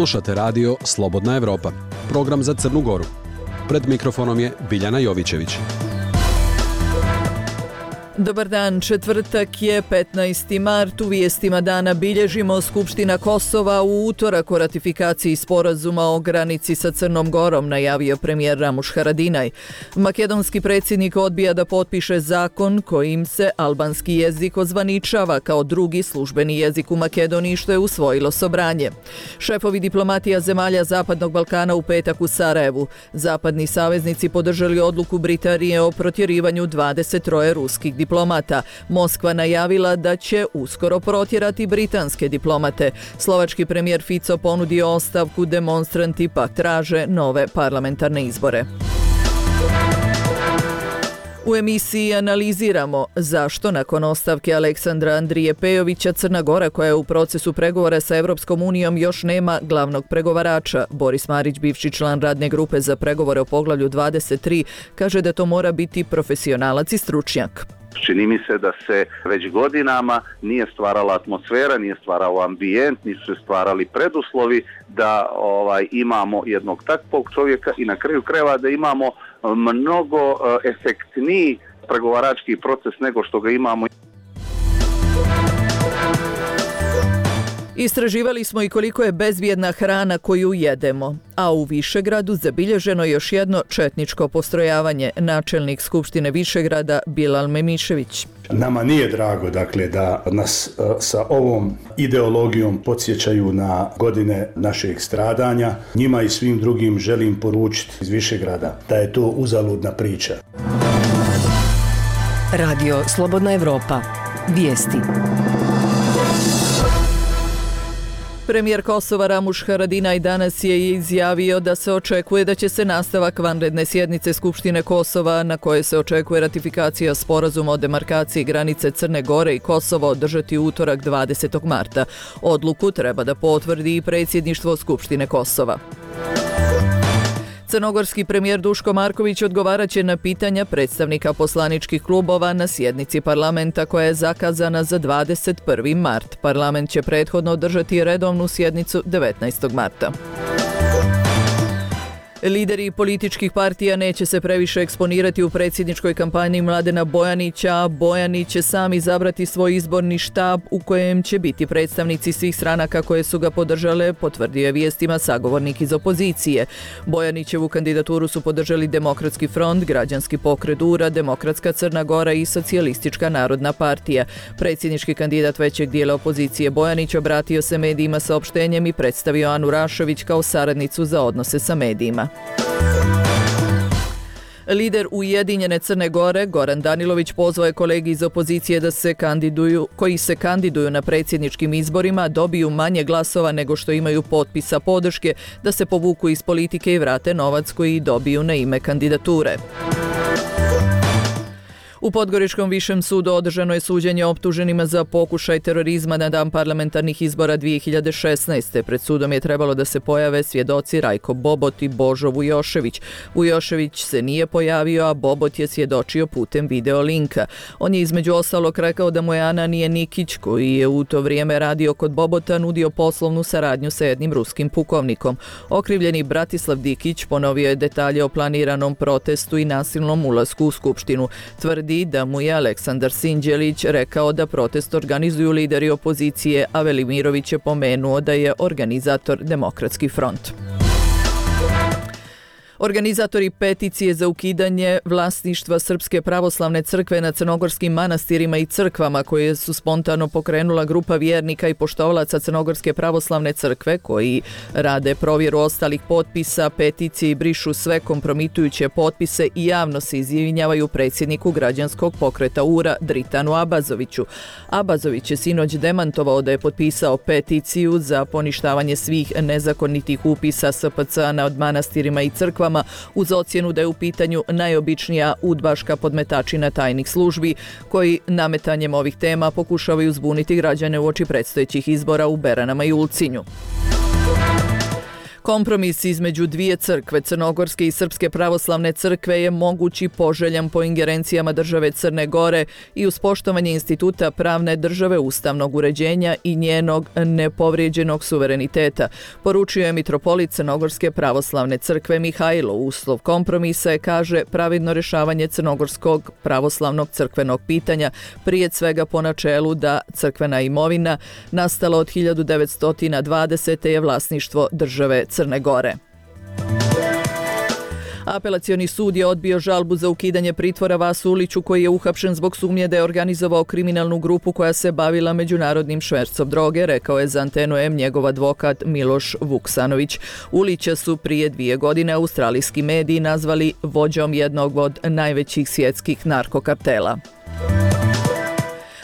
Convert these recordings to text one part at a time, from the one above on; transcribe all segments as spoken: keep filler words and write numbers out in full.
Slušate radio Slobodna Evropa, program za Crnu Goru. Pred mikrofonom je Biljana Jovićević. Dobar dan, četvrtak je petnaesti mart. U vijestima dana bilježimo Skupština Kosova u utorak o ratifikaciji sporazuma o granici sa Crnom Gorom, najavio premijer Ramuš Haradinaj. Makedonski predsjednik odbija da potpiše zakon kojim se albanski jezik ozvaničava kao drugi službeni jezik u Makedoniji, što je usvojilo Sobranje. Šefovi diplomatija zemalja Zapadnog Balkana u petak u Sarajevu. Zapadni saveznici podržali odluku Britanije o protjerivanju dvadeset troje ruskih diplomata. diplomata. Moskva najavila da će uskoro protjerati britanske diplomate. Slovački premijer Fico ponudio ostavku, demonstranti pak traže nove parlamentarne izbore. U emisiji analiziramo zašto nakon ostavke Aleksandra Andrije Pejovića Crna Gora, koja je u procesu pregovora sa Evropskom unijom, još nema glavnog pregovarača. Boris Marić, bivši član radne grupe za pregovore o poglavlju dvadeset tri, kaže da to mora biti profesionalac i stručnjak. Čini mi se da se već godinama nije stvarala atmosfera, nije stvarao ambijent, nisu se stvarali preduslovi da ovaj, imamo jednog takvog čovjeka i na kraju krajeva da imamo mnogo efektniji pregovarački proces nego što ga imamo. Istraživali smo i koliko je bezbjedna hrana koju jedemo, a u Višegradu zabilježeno još jedno četničko postrojavanje. Načelnik Skupštine Višegrada Bilal Memišević. Nama nije drago, dakle, da nas uh, sa ovom ideologijom podsjećaju na godine našeg stradanja. Njima i svim drugim želim poručiti iz Višegrada da je to uzaludna priča. Radio Slobodna Evropa. Vijesti. Premijer Kosova Ramuš Haradinaj danas je izjavio da se očekuje da će se nastavak vanredne sjednice Skupštine Kosova, na koje se očekuje ratifikacija sporazuma o demarkaciji granice Crne Gore i Kosova, održati utorak dvadesetog marta. Odluku treba da potvrdi i predsjedništvo Skupštine Kosova. Crnogorski premijer Duško Marković odgovarat će na pitanja predstavnika poslaničkih klubova na sjednici parlamenta koja je zakazana za dvadeset prvi mart. Parlament će prethodno održati redovnu sjednicu devetnaestog marta. Lideri političkih partija neće se previše eksponirati u predsjedničkoj kampanji Mladena Bojanića, a Bojanić će sam izabrati svoj izborni štab u kojem će biti predstavnici svih stranaka koje su ga podržale, potvrdio je vijestima sagovornik iz opozicije. Bojanićevu kandidaturu su podržali Demokratski front, Građanski pokret U R A, Demokratska Crna Gora i Socijalistička narodna partija. Predsjednički kandidat većeg dijela opozicije Bojanić obratio se medijima saopštenjem i predstavio Anu Rašović kao saradnicu za odnose sa medijima. Lider Ujedinjene Crne Gore, Goran Danilović, pozvao je kolegi iz opozicije da se kandiduju, koji se kandiduju na predsjedničkim izborima, dobiju manje glasova nego što imaju potpisa podrške, da se povuku iz politike i vrate novac koji dobiju na ime kandidature. U Podgoričkom višem sudu održano je suđenje optuženima za pokušaj terorizma na dan parlamentarnih izbora dvije hiljade šesnaeste. Pred sudom je trebalo da se pojave svjedoci Rajko Bobot i Božo Vujošević. Vujošević se nije pojavio, a Bobot je svjedočio putem video linka. On je između ostalog rekao da mu je Ananije Nikić, koji je u to vrijeme radio kod Bobota, nudio poslovnu saradnju sa jednim ruskim pukovnikom. Okrivljeni Bratislav Dikić ponovio je detalje o planiranom protestu i nasilnom ulasku u Skupštinu. Tvrdi da mu je Aleksandar Sinđelić rekao da protest organizuju lideri opozicije, a Velimirović je pomenuo da je organizator Demokratski front. Organizatori peticije za ukidanje vlasništva Srpske pravoslavne crkve na crnogorskim manastirima i crkvama, koje su spontano pokrenula grupa vjernika i poštovalaca Crnogorske pravoslavne crkve koji rade provjeru ostalih potpisa, peticije i brišu sve kompromitujuće potpise i javno se izvinjavaju predsjedniku građanskog pokreta U R A Dritanu Abazoviću. Abazović je sinoć demantovao da je potpisao peticiju za poništavanje svih nezakonitih upisa S P C na od manastirima i crkvama, uz ocjenu da je u pitanju najobičnija udbaška podmetačina tajnih službi, koji nametanjem ovih tema pokušavaju zbuniti građane uoči predstojećih izbora u Beranama i Ulcinju. Kompromis između dvije crkve, Crnogorske i Srpske pravoslavne crkve, je mogući poželjan po ingerencijama države Crne Gore i uz poštovanje instituta pravne države, ustavnog uređenja i njenog nepovrijeđenog suvereniteta, poručio je mitropolit Crnogorske pravoslavne crkve Mihajlo. Uslov kompromisa je, kaže, pravidno rješavanje crnogorskog pravoslavnog crkvenog pitanja, prije svega po načelu da crkvena imovina nastala od hiljadu devetsto dvadesete je vlasništvo države Crne Gore. Apelacioni sud je odbio žalbu za ukidanje pritvora Vasu Uliću, koji je uhapšen zbog sumnje da je organizovao kriminalnu grupu koja se bavila međunarodnim švercom droge, rekao je za Antenu M njegov advokat Miloš Vuksanović. Ulića su prije dvije godine australijski mediji nazvali vođom jednog od najvećih svjetskih narkokartela.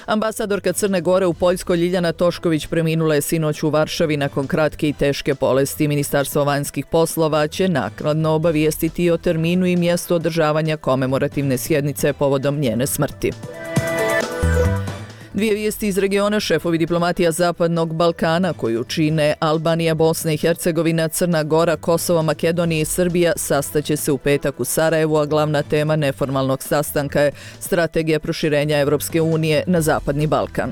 Ambasadorka Crne Gore u Poljskoj Ljiljana Tošković preminula je sinoć u Varšavi nakon kratke i teške bolesti. Ministarstvo vanjskih poslova će naknadno obavijestiti o terminu i mjestu održavanja komemorativne sjednice povodom njene smrti. Dvije vijesti iz regiona. Šefovi diplomatija Zapadnog Balkana, koju čine Albanija, Bosna i Hercegovina, Crna Gora, Kosovo, Makedonija i Srbija, sastaće se u petak u Sarajevu, a glavna tema neformalnog sastanka je strategija proširenja Evropske unije na Zapadni Balkan.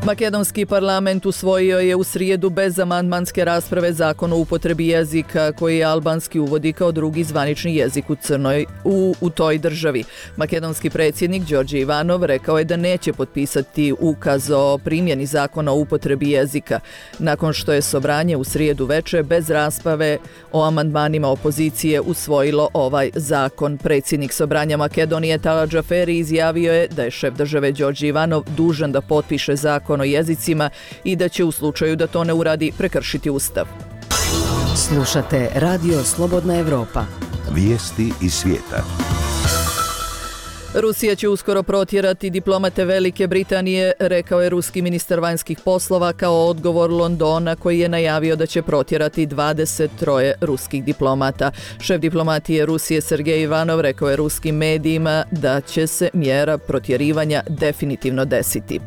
Makedonski parlament usvojio je u srijedu bez amandmanske rasprave zakon o upotrebi jezika koji je albanski uvodi kao drugi zvanični jezik u Crnoj u, u toj državi. Makedonski predsjednik Đorđe Ivanov rekao je da neće potpisati ukaz o primjeni zakona o upotrebi jezika, nakon što je Sobranje u srijedu veče bez rasprave o amandmanima opozicije usvojilo ovaj zakon. Predsjednik Sobranja Makedonije Tala Džaferi izjavio je da je šef države Đorđe Ivanov dužan da potpiše zakon o jezicima i da će u slučaju da to ne uradi prekršiti ustav. Slušate Radio Slobodna Evropa. Vijesti iz svijeta. Rusija će uskoro protjerati diplomate Velike Britanije, rekao je ruski ministar vanjskih poslova kao odgovor Londona, koji je najavio da će protjerati dvadeset tri ruskih diplomata. Šef diplomatije Rusije Sergej Ivanov rekao je ruskim medijima da će se mjera protjerivanja definitivno desiti.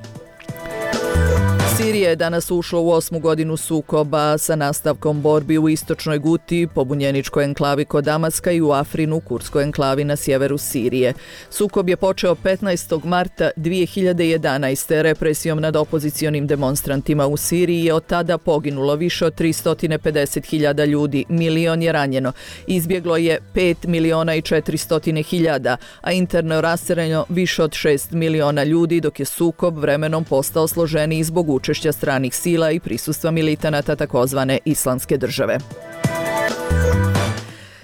Sirija je danas ušla u osmu godinu sukoba sa nastavkom borbi u istočnoj Guti, pobunjeničkoj enklavi kod Damaska, i u Afrinu, kurskoj enklavi na sjeveru Sirije. Sukob je počeo petnaestog marta dvije hiljade jedanaeste. represijom nad opozicionim demonstrantima u Siriji je od tada poginulo više od tristo pedeset hiljada ljudi, milion je ranjeno, izbjeglo je pet miliona i četiristo hiljada, a interno raseljeno više od šest miliona ljudi, dok je sukob vremenom postao složeniji zbog učešća stranih sila i prisustva militanata takozvane Islamske države.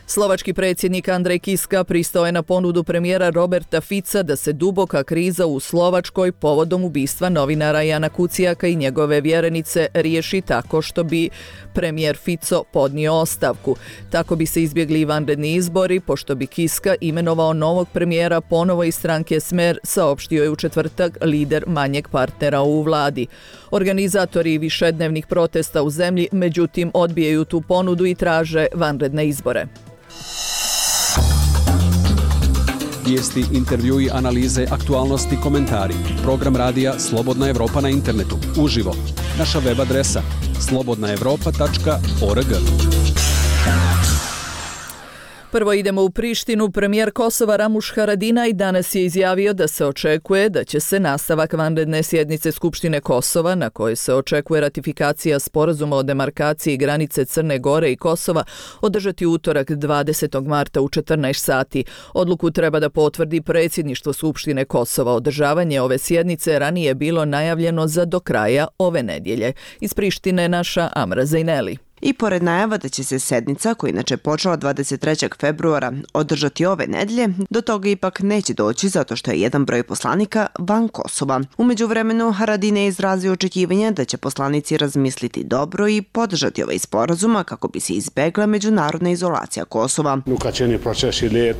Slovački predsjednik Andrej Kiska pristao je na ponudu premijera Roberta Fica da se duboka kriza u Slovačkoj povodom ubistva novinara Jana Kuciaka i njegove vjerenice riješi tako što bi premijer Fico podnio ostavku. Tako bi se izbjegli vanredni izbori, pošto bi Kiska imenovao novog premijera ponovo iz stranke Smer, saopštio je u četvrtak lider manjeg partnera u vladi. Organizatori višednevnih protesta u zemlji međutim odbijaju tu ponudu i traže vanredne izbore. Vijesti, intervjui, analize, aktualnosti, komentari. Program radija Slobodna Evropa na internetu. Uživo. Naša web adresa slobodna evropa tačka org. Prvo idemo u Prištinu. Premijer Kosova Ramuš Haradinaj danas je izjavio da se očekuje da će se nastavak vanredne sjednice Skupštine Kosova, na kojoj se očekuje ratifikacija sporazuma o demarkaciji granice Crne Gore i Kosova, održati utorak dvadesetog marta u četrnaest sati. Odluku treba da potvrdi predsjedništvo Skupštine Kosova. Održavanje ove sjednice ranije je bilo najavljeno za do kraja ove nedjelje. Iz Prištine naša Amra Zajneli. I pored najava da će se sednica, koja inače počela dvadeset trećeg februara, održati ove nedjelje, do toga ipak neće doći zato što je jedan broj poslanika van Kosova. U međuvremenu Haradinaj je izrazio očekivanje da će poslanici razmisliti dobro i podržati ovaj sporazuma kako bi se izbegla međunarodna izolacija Kosova.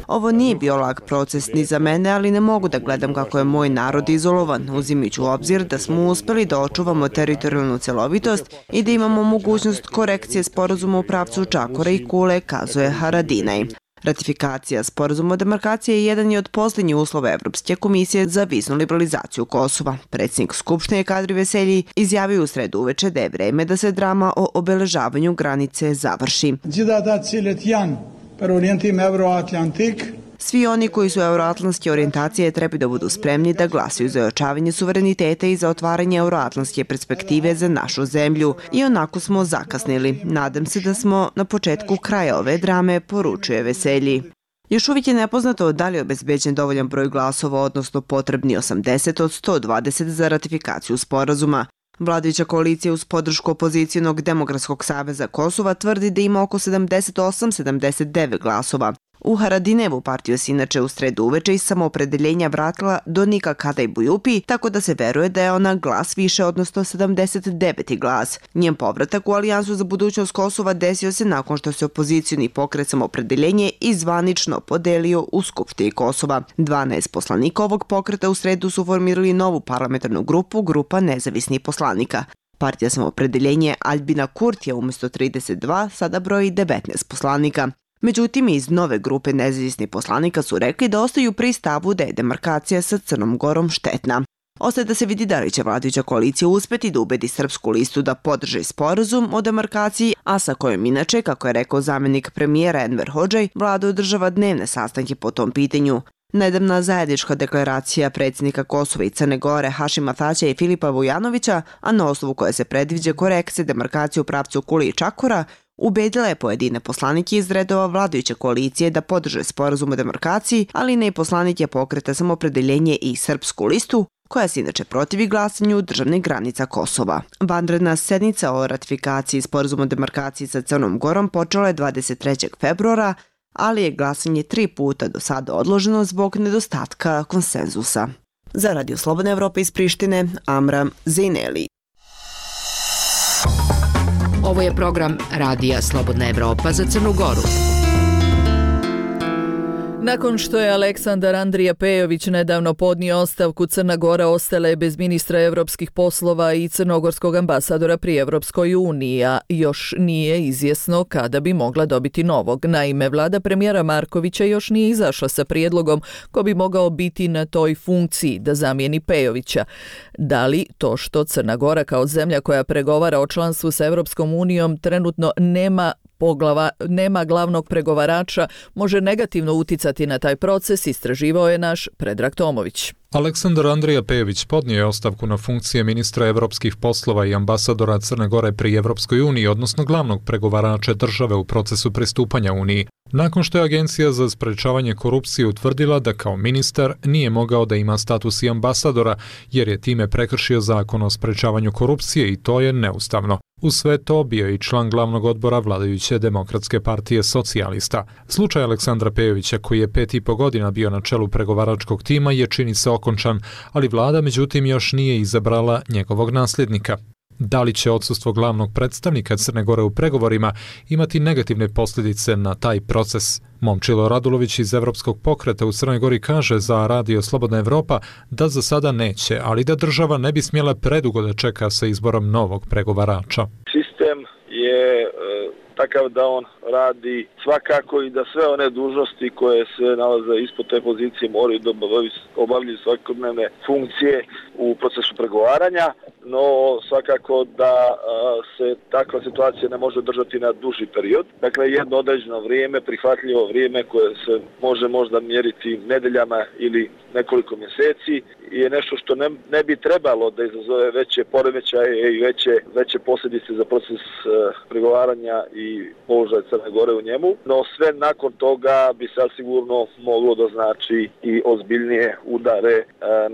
Ovo nije bio lak proces ni za mene, ali ne mogu da gledam kako je moj narod izolovan, uzimajući u obzir da smo uspjeli da očuvamo teritorijalnu celovitost i da imamo mogućnost korekcije sporazuma u pravcu Čakora i Kule, kazuje Haradinaj. Ratifikacija sporazuma o demarkaciji je jedan od posljednjih uslova Evropske komisije za viznu liberalizaciju Kosova. Predsjednik Skupštine Kadri Veselji izjavio u sredu uveče da je vreme da se drama o obeležavanju granice završi. Svi oni koji su euroatlantske orijentacije trebaju da budu spremni da glasaju za ojačavanje suvereniteta i za otvaranje euroatlantske perspektive za našu zemlju. I onako smo zakasnili. Nadam se da smo na početku kraja ove drame, poručuje Veselji. Još uvijek je nepoznato da li je obezbeđen dovoljan broj glasova, odnosno potrebni osamdeset od sto dvadeset za ratifikaciju sporazuma. Vladajuća koalicija uz podršku Opozicijonog Demokratskog saveza Kosova tvrdi da ima oko sedamdeset osam sedamdeset devet glasova. U Haradinevu partiju se inače u sredu uveče iz samoopredeljenja vratila Donika Kadaj-Bujupi, tako da se veruje da je ona glas više, odnosno sedamdeset deveti glas. Njen povratak u Alijansu za budućnost Kosova desio se nakon što se opozicijoni pokret Samoopredeljenje i zvanično podelio u Skupštini Kosova. dvanaest poslanika ovog pokreta u sredu su formirali novu parlamentarnu grupu, grupa nezavisnih poslanika. Partija Samoopredeljenje Albina Kurtija umjesto trideset dva sada broji devetnaest poslanika. Međutim, iz nove grupe nezavisnih poslanika su rekli da ostaju pri stavu da je demarkacija sa Crnom Gorom štetna. Ostaje da se vidi da li će vladajuća koalicija uspeti da ubedi srpsku listu da podrži sporazum o demarkaciji, a sa kojom inače, kako je rekao zamjenik premijera Enver Hodžaj, vlada održava dnevne sastanke po tom pitanju. Nedavna zajednička deklaracija predsjednika Kosova i Crne Gore Hašima Tačija i Filipa Vujanovića, a na osnovu koje se predviđa korekcije demarkacije u pravcu Kuli i Čakora, ubedila je pojedine poslanike iz redova vladajuće koalicije da podrže sporazum o demarkaciji, ali ne i poslanike pokreta Samoopredeljenje i Srpsku listu, koja se inače protivi glasanju državnih granica Kosova. Vanredna sednica o ratifikaciji sporazuma o demarkaciji sa Crnom Gorom počela je dvadeset trećeg februara, ali je glasanje tri puta do sada odloženo zbog nedostatka konsenzusa. Za Radio Slobodne Evrope iz Prištine, Amram Zejneli. Ovo je program Radija Slobodna Evropa za Crnu Goru. Nakon što je Aleksandar Andrija Pejović nedavno podnio ostavku, Crna Gora ostala je bez ministra evropskih poslova i crnogorskog ambasadora pri Evropskoj uniji, a još nije izjesno kada bi mogla dobiti novog. Naime, vlada premijera Markovića još nije izašla sa prijedlogom ko bi mogao biti na toj funkciji da zamijeni Pejovića. Da li to što Crna Gora kao zemlja koja pregovara o članstvu sa Evropskom unijom trenutno nema Poglava, nema glavnog pregovarača, može negativno uticati na taj proces, istraživao je naš Predrag Tomović. Aleksandar Andrija Pejović podnio je ostavku na funkcije ministra evropskih poslova i ambasadora Crne Gore pri Evropskoj uniji, odnosno glavnog pregovarača države u procesu pristupanja Uniji. Nakon što je Agencija za sprečavanje korupcije utvrdila da kao ministar nije mogao da ima status i ambasadora, jer je time prekršio zakon o sprečavanju korupcije i to je neustavno. Uz sve to bio je i član glavnog odbora vladajuće Demokratske partije socijalista. Slučaj Aleksandra Pejovića, koji je pet i po godina bio na čelu pregovaračkog tima, je čini se okončan, ali vlada međutim još nije izabrala njegovog nasljednika. Da li će odsustvo glavnog predstavnika Crne Gore u pregovorima imati negativne posljedice na taj proces? Momčilo Radulović iz Evropskog pokreta u Crnoj Gori kaže za Radio Slobodna Evropa da za sada neće, ali da država ne bi smjela predugo da čeka sa izborom novog pregovarača. Sistem je e, takav da on radi svakako i da sve one dužnosti koje se nalaze ispod te pozicije moraju da obavljaju svakodnevne funkcije u procesu pregovaranja, no svakako da a, se takva situacija ne može držati na duži period. Dakle, jedno određeno vrijeme, prihvatljivo vrijeme koje se može možda mjeriti nedeljama ili nekoliko mjeseci je nešto što ne, ne bi trebalo da izazove veće poremećaje i veće, veće posljedice za proces uh, pregovaranja i položaj Crne Gore u njemu, no sve nakon toga bi sad sigurno moglo da znači i ozbiljnije udare uh,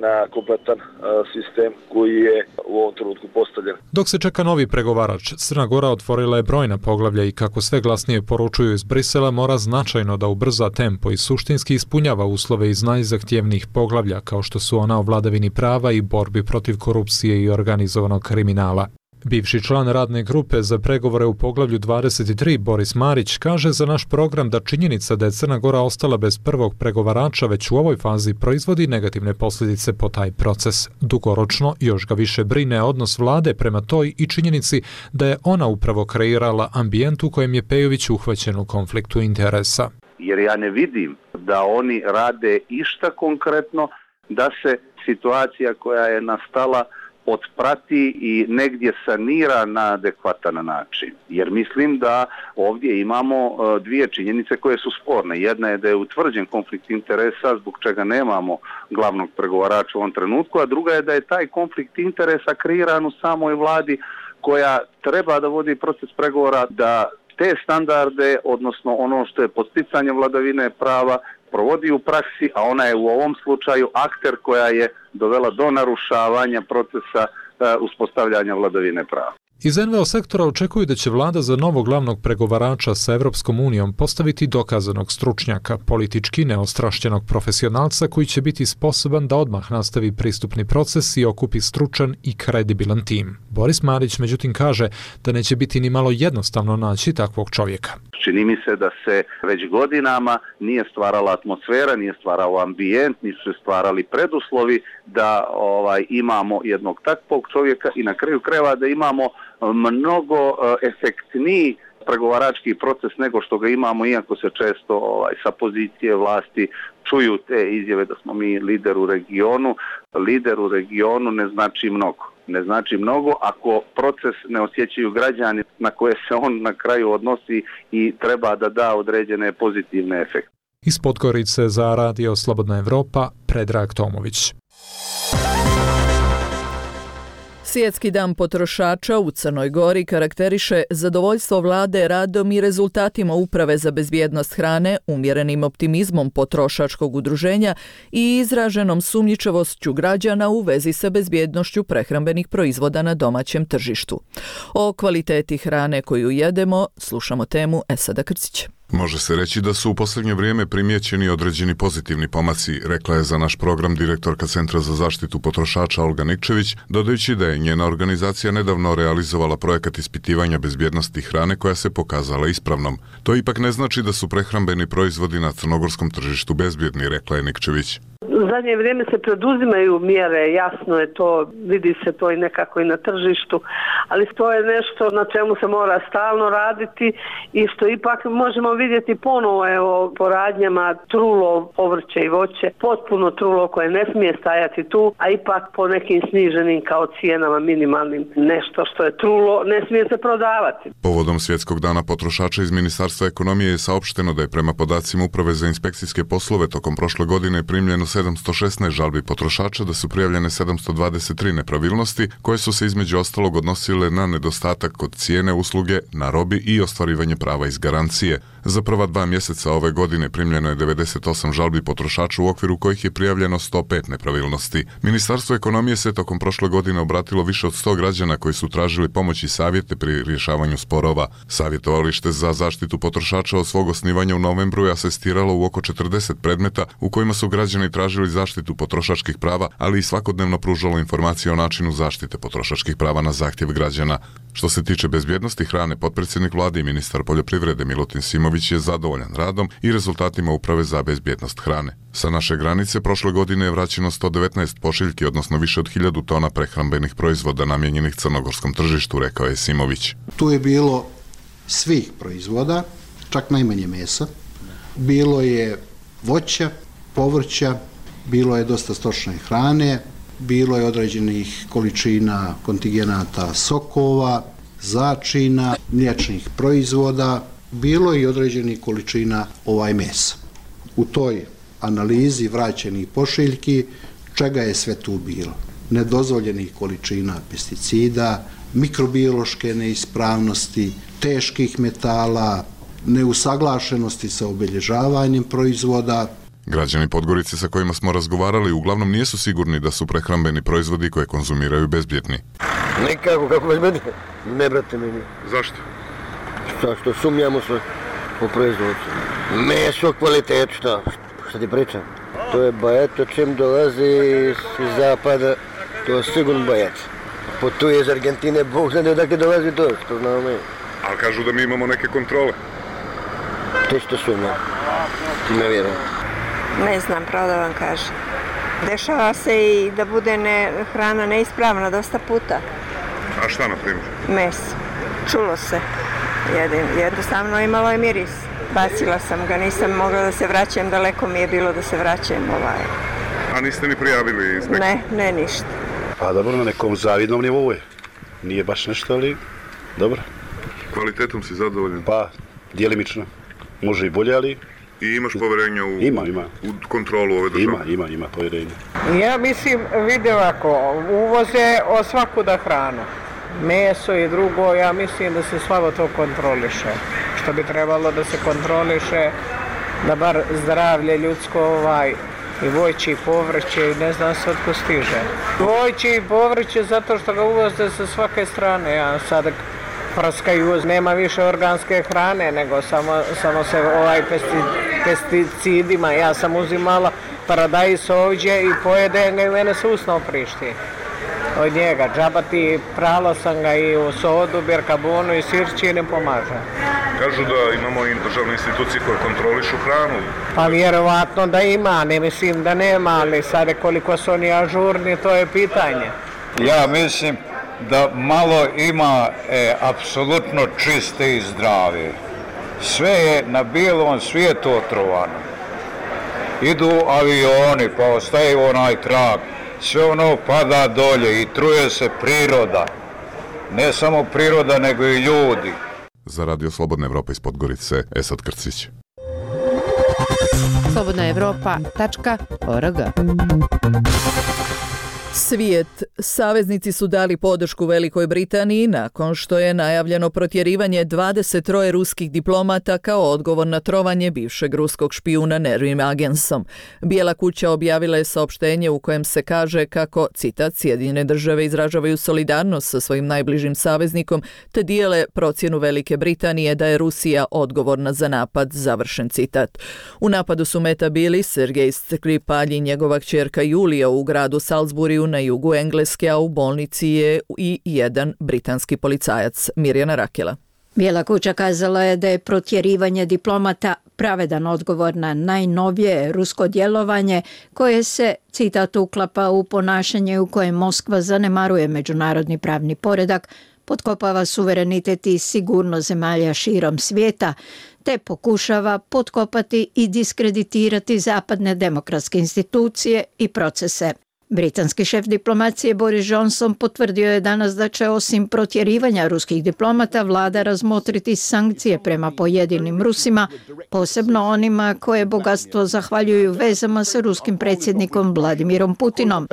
na kompletan uh, sistem koji je u ovom trenutku postavljen. Dok se čeka novi pregovarač, Crna Gora otvorila je brojna poglavlja i kako sve glasnije poručuju iz Brisela, mora značajno da ubrza tempo i suštinski ispunjava uslove iz najzahtjevnijih poglavlja kao što su ona o vladavini prava i borbi protiv korupcije i organizovanog kriminala. Bivši član radne grupe za pregovore u poglavlju dvadeset tri Boris Marić kaže za naš program da činjenica da je Crna Gora ostala bez prvog pregovarača već u ovoj fazi proizvodi negativne posljedice po taj proces. Dugoročno još ga više brine odnos vlade prema toj i činjenici da je ona upravo kreirala ambijent u kojem je Pejović uhvaćen u konfliktu interesa. jer ja ne vidim da oni rade išta konkretno da se situacija koja je nastala otprati i negdje sanira na adekvatan način. Jer mislim da ovdje imamo dvije činjenice koje su sporne. Jedna je da je utvrđen konflikt interesa zbog čega nemamo glavnog pregovarača u ovom trenutku, a druga je da je taj konflikt interesa kreiran u samoj vladi koja treba da vodi proces pregovora, da te standarde, odnosno ono što je podsticanje vladavine prava, provodi u praksi, a ona je u ovom slučaju akter koja je dovela do narušavanja procesa uh, uspostavljanja vladavine prava. Iz en ve o sektora očekuju da će vlada za novog glavnog pregovarača sa Evropskom unijom postaviti dokazanog stručnjaka, politički neostrašćenog profesionalca koji će biti sposoban da odmah nastavi pristupni proces i okupi stručan i kredibilan tim. Boris Marić međutim kaže da neće biti ni malo jednostavno naći takvog čovjeka. Čini mi se da se već godinama nije stvarala atmosfera, nije stvarao ambijent, nisu se stvarali preduslovi da ovaj, imamo jednog takvog čovjeka i na kraju krajeva da imamo mnogo efektniji pregovarački proces nego što ga imamo, iako se često ovaj, sa pozicije vlasti čuju te izjave da smo mi lider u regionu. Lider u regionu ne znači mnogo. Ne znači mnogo ako proces ne osjećaju građani na koje se on na kraju odnosi i treba da da određene pozitivne efekte. Iz Podgorice za Radio Slobodna Evropa, Predrag Tomović. Svjetski dan potrošača u Crnoj Gori karakteriše zadovoljstvo vlade radom i rezultatima Uprave za bezbjednost hrane, umjerenim optimizmom potrošačkog udruženja i izraženom sumnjičavošću građana u vezi sa bezbjednošću prehrambenih proizvoda na domaćem tržištu. O kvaliteti hrane koju jedemo slušamo temu Esada Krcića. Može se reći da su u posljednje vrijeme primijećeni određeni pozitivni pomaci, rekla je za naš program direktorka Centra za zaštitu potrošača Olga Nikčević, dodajući da je njena organizacija nedavno realizovala projekat ispitivanja bezbjednosti hrane koja se pokazala ispravnom. To ipak ne znači da su prehrambeni proizvodi na crnogorskom tržištu bezbjedni, rekla je Nikčević. U zadnje vrijeme se preduzimaju mjere, jasno je to, vidi se to i nekako i na tržištu, ali to je nešto na čemu se mora stalno raditi i što ipak možemo vidjeti ponovo evo, po radnjama trulo, povrće i voće, potpuno trulo koje ne smije stajati tu, a ipak po nekim sniženim kao cijenama minimalnim nešto što je trulo ne smije se prodavati. Povodom Svjetskog dana potrošača iz Ministarstva ekonomije je saopšteno da je prema podacima Uprave za inspekcijske poslove tokom prošle godine primljeno sedamsto šesnaest žalbi potrošača, da su prijavljene sedamsto dvadeset tri nepravilnosti koje su se između ostalog odnosile na nedostatak kod cijene usluge, na robi i ostvarivanje prava iz garancije. Za prva dva mjeseca ove godine primljeno je devedeset osam žalbi potrošača u okviru kojih je prijavljeno sto pet nepravilnosti. Ministarstvo ekonomije se tokom prošle godine obratilo više od sto građana koji su tražili pomoć i savjete pri rješavanju sporova. Savjetovalište za zaštitu potrošača od svog osnivanja u novembru je asistiralo u oko četrdeset predmeta u kojima su građani tražili zaštitu potrošačkih prava, ali i svakodnevno pružalo informacije o načinu zaštite potrošačkih prava na zahtjev građana. Što se tiče bezbjednosti hrane, potpredsjednik vlade i ministar poljoprivrede Milutin Simović je zadovoljan radom i rezultatima Uprave za bezbjednost hrane. Sa naše granice prošle godine je vraćeno sto devetnaest pošiljki, odnosno više od hiljadu tona prehrambenih proizvoda namijenjenih crnogorskom tržištu, rekao je Simović. Tu je bilo svih proizvoda, čak najmanje mesa. Bilo je voća, povrća, bilo je dosta stočne hrane, bilo je određenih količina kontigenata sokova, začina, mliječnih proizvoda, bilo je i određenih količina ovaj mesa. U toj analizi vraćenih pošiljki, čega je sve tu bilo? Nedozvoljenih količina pesticida, mikrobiološke neispravnosti, teških metala, neusaglašenosti sa obilježavanjem proizvoda. Građani Podgorice sa kojima smo razgovarali uglavnom nisu sigurni da su prehrambeni proizvodi koje konzumiraju bezbjedni. Nekako, kako bezbjedni? Ne, brate, meni. Zašto? Šta, što sumnjamo sve u proizvodcu. Meso, kvalitet, šta? Šta ti pričam? To je bajet, to čim dolazi iz zapada, to je sigurno bajet. Potuje iz Argentine, Bog zna odakle dolazi to, što znamo mi. Ali kažu da mi imamo neke kontrole. To što sumnjam. Ne vjerujem. Ne znam, pravo da vam kažem. Dešava se i da bude ne, hrana neispravna dosta puta. A šta, na primjer? Meso. Čulo se. Jedin, jednostavno imalo je miris. Bacila sam ga, nisam mogla da se vraćam, daleko mi je bilo da se vraćam ovaj. A niste ni prijavili inspekciju? Ne, ne ništa. Pa dobro, na nekom zavidnom nivou je. Nije baš nešto, ali dobro. Kvalitetom si zadovoljan? Pa, djelimično. Može i bolje, ali... I imaš povjerenja u, ima, ima. u kontrolu ove države? Ima, ima, ima povjerenja. Ja mislim, vidi ovako, uvoze od svakuda hranu. Meso i drugo, ja mislim da se slabo to kontroliše. Što bi trebalo da se kontroliše, da bar zdravlje ljudsko ovaj, i voće i povrće, i ne znam se otko stiže. Voće i povrće zato što ga uvoze sa svake strane, ja sad praskaju, nema više organske hrane, nego samo, samo se ovaj pesti, pesticidima. Ja sam uzimala paradajz ovdje i pojede ga i mene se usno oprišti od njega. Džabati, prala sam ga i u sodu, birkabonu i sirći ne pomaže. Kažu da imamo i državne institucije koje kontrolišu hranu. Pa vjerovatno da ima, ne mislim da nema, ali sad koliko su oni ažurni, to je pitanje. Ja mislim da malo ima e, apsolutno čiste i zdrave. Sve je na bijelom svijetu otrovano. Idu avioni, pa ostaje onaj trag. Sve ono pada dolje i truje se priroda. Ne samo priroda, nego i ljudi. Za Radio Slobodna Evropa iz Podgorice, Esad Krcić. slobodna evropa tačka org. Svijet. Saveznici su dali podršku Velikoj Britaniji nakon što je najavljeno protjerivanje dvadeset tri ruskih diplomata kao odgovor na trovanje bivšeg ruskog špijuna Nerim Agensom. Bijela kuća objavila je saopštenje u kojem se kaže kako, citat, Sjedinjene države izražavaju solidarnost sa svojim najbližim saveznikom te dijele procjenu Velike Britanije da je Rusija odgovorna za napad, završen citat. U napadu su meta bili Sergej Skripal i njegova kćerka Julija u gradu Salisburyu na jugu Engleske, a u bolnici je i jedan britanski policajac. Mirjana Rakela. Bijela kuća kazala je da je protjerivanje diplomata pravedan odgovor na najnovije rusko djelovanje koje se, citat, uklapa u ponašanje u kojem Moskva zanemaruje međunarodni pravni poredak, potkopava suverenitet i sigurnost zemalja širom svijeta, te pokušava potkopati i diskreditirati zapadne demokratske institucije i procese. Britanski šef diplomacije Boris Johnson potvrdio je danas da će osim protjerivanja ruskih diplomata vlada razmotriti sankcije prema pojedinim Rusima, posebno onima koje bogatstvo zahvaljuju vezama sa ruskim predsjednikom Vladimirom Putinom.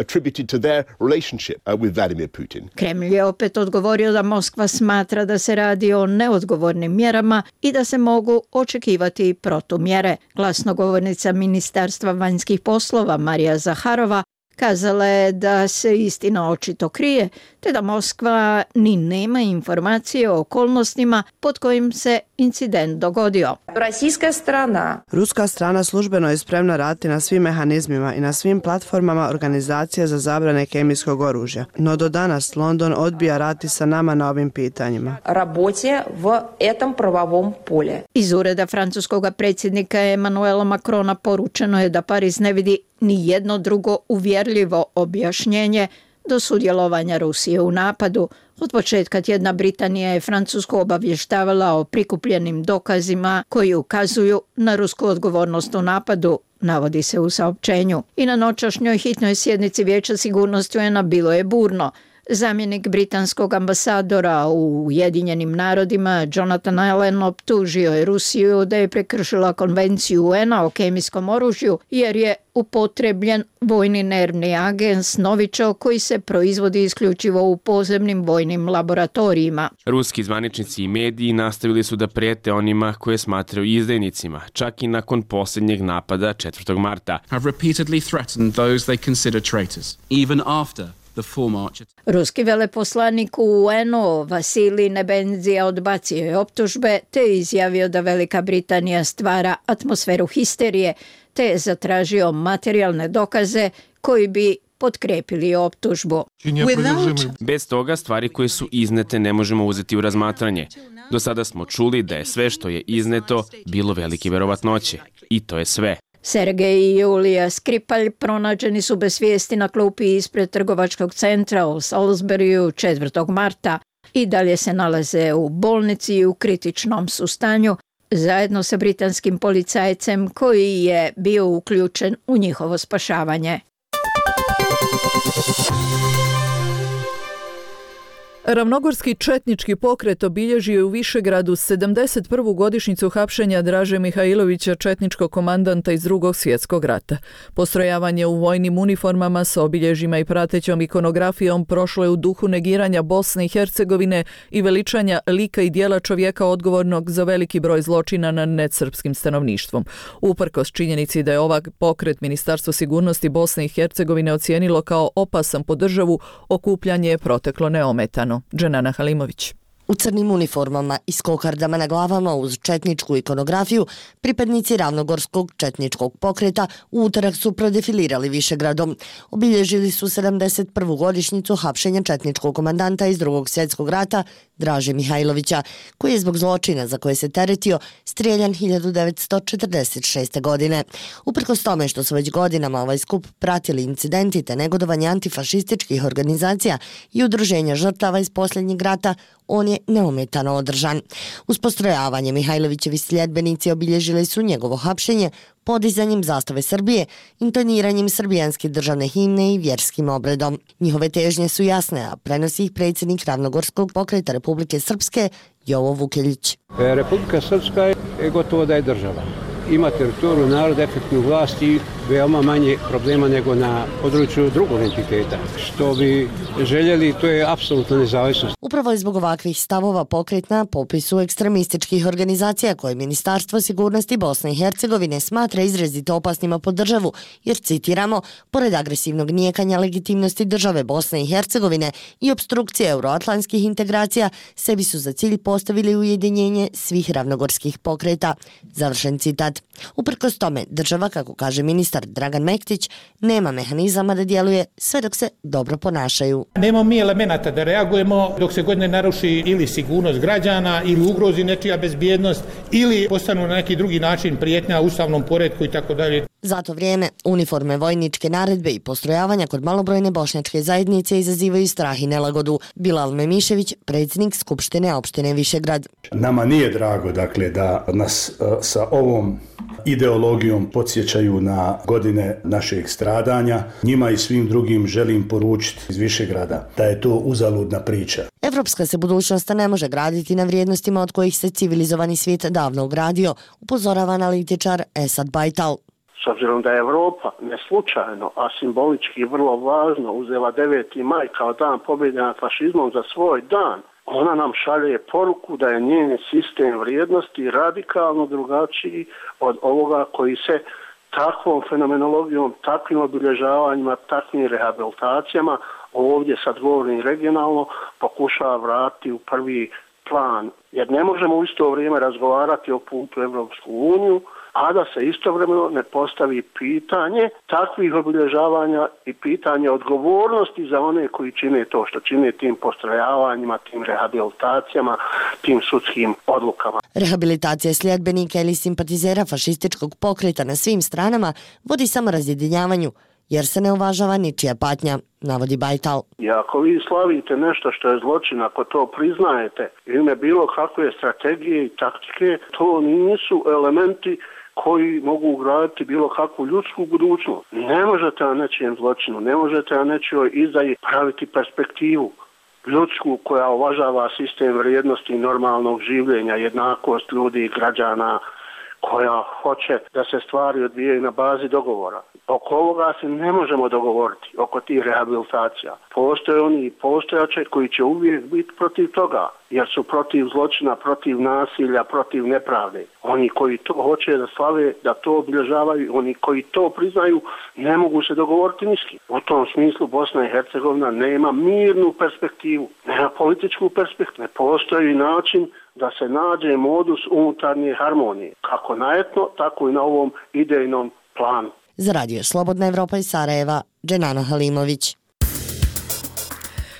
Kremlj je opet odgovorio da Moskva smatra da se radi o neodgovornim mjerama i da se mogu očekivati protumjere. Glasnogovornica Ministarstva vanjskih poslova Marija Zaharova kazala je da se istina očito krije, te da Moskva ni nema informacije o okolnostima pod kojim se incident dogodio. Ruska strana službeno je spremna raditi na svim mehanizmima i na svim platformama organizacije za zabrane kemijskog oružja. No do danas London odbija raditi sa nama na ovim pitanjima. Iz ureda francuskog predsjednika Emmanuela Macrona poručeno je da Pariz ne vidi ni jedno drugo uvjerljivo objašnjenje do sudjelovanja Rusije u napadu. Od početka tjedna Britanija je Francusku obavještavala o prikupljenim dokazima koji ukazuju na rusku odgovornost u napadu, navodi se u saopćenju. I na noćašnjoj hitnoj sjednici Vijeća sigurnosti U N-a bilo je burno. Zamjenik britanskog ambasadora u Ujedinjenim narodima Jonathan Allen optužio je Rusiju da je prekršila konvenciju U N-a o kemijskom oružju jer je upotrebljen vojni nervni agens Novičok koji se proizvodi isključivo u podzemnim vojnim laboratorijima. Ruski zvaničnici i mediji nastavili su da prijete onima koje smatraju izdajnicima, čak i nakon posljednjeg napada četvrtog marta. Have repeatedly threatened those they consider traitors, even after Ruski veleposlanik u U N-u Vasilij Nebenzija odbacio je optužbe te izjavio da Velika Britanija stvara atmosferu histerije te je zatražio materijalne dokaze koji bi potkrepili optužbu. Bez toga stvari koje su iznete ne možemo uzeti u razmatranje. Do sada smo čuli da je sve što je izneto bilo velike verovatnoće. I to je sve. Sergej i Julija Skripal pronađeni su bez svijesti na klupi ispred trgovačkog centra u Salisburyu četvrtog marta i dalje se nalaze u bolnici u kritičnom su stanju, zajedno sa britanskim policajcem koji je bio uključen u njihovo spašavanje. Ravnogorski četnički pokret obilježio je u Višegradu sedamdeset prvu godišnjicu hapšenja Draže Mihajlovića, četničkog komandanta iz Drugog svjetskog rata. Postrojavanje u vojnim uniformama sa obilježjima i pratećom ikonografijom prošlo je u duhu negiranja Bosne i Hercegovine i veličanja lika i dijela čovjeka odgovornog za veliki broj zločina nad nedsrpskim stanovništvom. Uprkos činjenici da je ovaj pokret Ministarstvo sigurnosti Bosne i Hercegovine ocijenilo kao opasan po državu, okupljanje je proteklo neometano. Dženana Halimović. U crnim uniformama i s kokardama na glavama uz četničku ikonografiju, pripadnici Ravnogorskog četničkog pokreta u utorak su prodefilirali Višegradom. Obilježili su sedamdeset prvu godišnjicu hapšenja četničkog komandanta iz Drugog svjetskog rata Draže Mihajlovića, koji je zbog zločina za koje se teretio strijeljan hiljadu devetsto četrdeset šeste. godine. Uprkos tome što su već godinama ovaj skup pratili incidenti te negodovanje antifašističkih organizacija i udruženja žrtava iz posljednjeg rata, on je neometano održan. Uz postrojavanje Mihajlovićevi sljedbenici obilježili su njegovo hapšenje podizanjem zastave Srbije, intoniranjem srbijanske državne himne i vjerskim obredom. Njihove težnje su jasne, a prenosi ih predsjednik Ravnogorskog pokreta Republike Srpske Jovo Vukeljić. Republika Srpska je gotovo da je država. Ima teritoriju, narod, efektnu vlast i veoma manje problema nego na području drugog entiteta. Što bi željeli, to je apsolutna nezavisnost. Upravo je zbog ovakvih stavova pokret na popisu ekstremističkih organizacija koje Ministarstvo sigurnosti Bosne i Hercegovine smatra izrazito opasnima po državu, jer, citiramo, pored agresivnog nijekanja legitimnosti države Bosne i Hercegovine i opstrukcije euroatlantskih integracija, sebi su za cilj postavili ujedinjenje svih ravnogorskih pokreta. Završen citat. Uprkos tome, država, kako kaže ministar Dragan Mektić, nema mehanizama da djeluje sve dok se dobro ponašaju. Nemamo mi elemenata da reagujemo dok se god ne naruši ili sigurnost građana ili ugrozi nečija bezbjednost ili postanu na neki drugi način prijetnja ustavnom poretku i tako dalje. Za to vrijeme uniforme, vojničke naredbe i postrojavanja kod malobrojne bošnjačke zajednice izazivaju strah i nelagodu. Bilal Memišević, predsjednik Skupštine opštine Višegrad. Nama nije drago, dakle, da nas uh, sa ovom ideologijom podsjećaju na godine našeg stradanja. Njima i svim drugim želim poručiti iz Višegrada da je to uzaludna priča. Evropska se budućnost ne može graditi na vrijednostima od kojih se civilizovani svijet davno ugradio, upozorava analitičar Esad Bajtal. S obzirom da je Evropa ne slučajno, a simbolički vrlo važno uzela deveti maj kao dan pobjede nad fašizmom za svoj dan, ona nam šalje poruku da je njen sistem vrijednosti radikalno drugačiji od ovoga koji se takvom fenomenologijom, takvim obilježavanjima, takvim rehabilitacijama, ovdje sad govorim regionalno, pokušava vratiti u prvi plan. Jer ne možemo u isto vrijeme razgovarati o putu u Evropsku uniju, a da se istovremeno ne postavi pitanje takvih obilježavanja i pitanje odgovornosti za one koji čine to što čine tim postrojavanjima, tim rehabilitacijama, tim sudskim odlukama. Rehabilitacija sljedbenika ili simpatizera fašističkog pokreta na svim stranama vodi samo razjedinjavanju, jer se ne uvažava ničija patnja, navodi Bajtal. I ako vi slavite nešto što je zločin, ako to priznajete, ime bilo kakve strategije i taktike, to nisu elementi koji mogu ugraditi bilo kakvu ljudsku budućnost. Ne možete na nečijem zločinu, ne možete na nečijoj izdaji praviti perspektivu ljudsku koja uvažava sistem vrijednosti normalnog življenja, jednakost ljudi i građana, koja hoće da se stvari odvijaju na bazi dogovora. Oko ovoga se ne možemo dogovoriti, oko tih rehabilitacija. Postoje oni i postojače koji će uvijek biti protiv toga, jer su protiv zločina, protiv nasilja, protiv nepravde. Oni koji to hoće da slave, da to obilježavaju, oni koji to priznaju, ne mogu se dogovoriti ni s kim. U tom smislu Bosna i Hercegovina nema mirnu perspektivu, nema političku perspektivu. Ne postoji način da se nađe modus unutarnje harmonije, kako na etno, tako i na ovom idejnom planu. Za radio Slobodna Evropa iz Sarajeva, Dženana Halimović.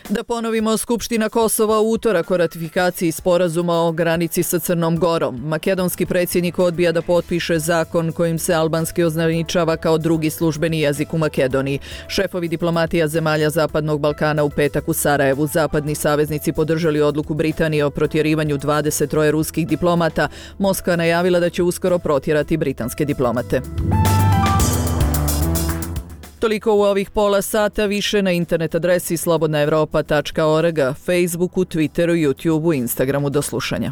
Da ponovimo, Skupština Kosova u utorak o ratifikaciji sporazuma o granici sa Crnom Gorom. Makedonski predsjednik odbija da potpiše zakon kojim se albanski označava kao drugi službeni jezik u Makedoniji. Šefovi diplomatija zemalja Zapadnog Balkana u petak u Sarajevu. Zapadni saveznici podržali odluku Britanije o protjerivanju dvadeset troje ruskih diplomata. Moskva najavila da će uskoro protjerati britanske diplomate. Toliko u ovih pola sata, više na internet adresi slobodna evropa tačka org, Facebooku, Twitteru, YouTubeu, Instagramu. Do slušanja.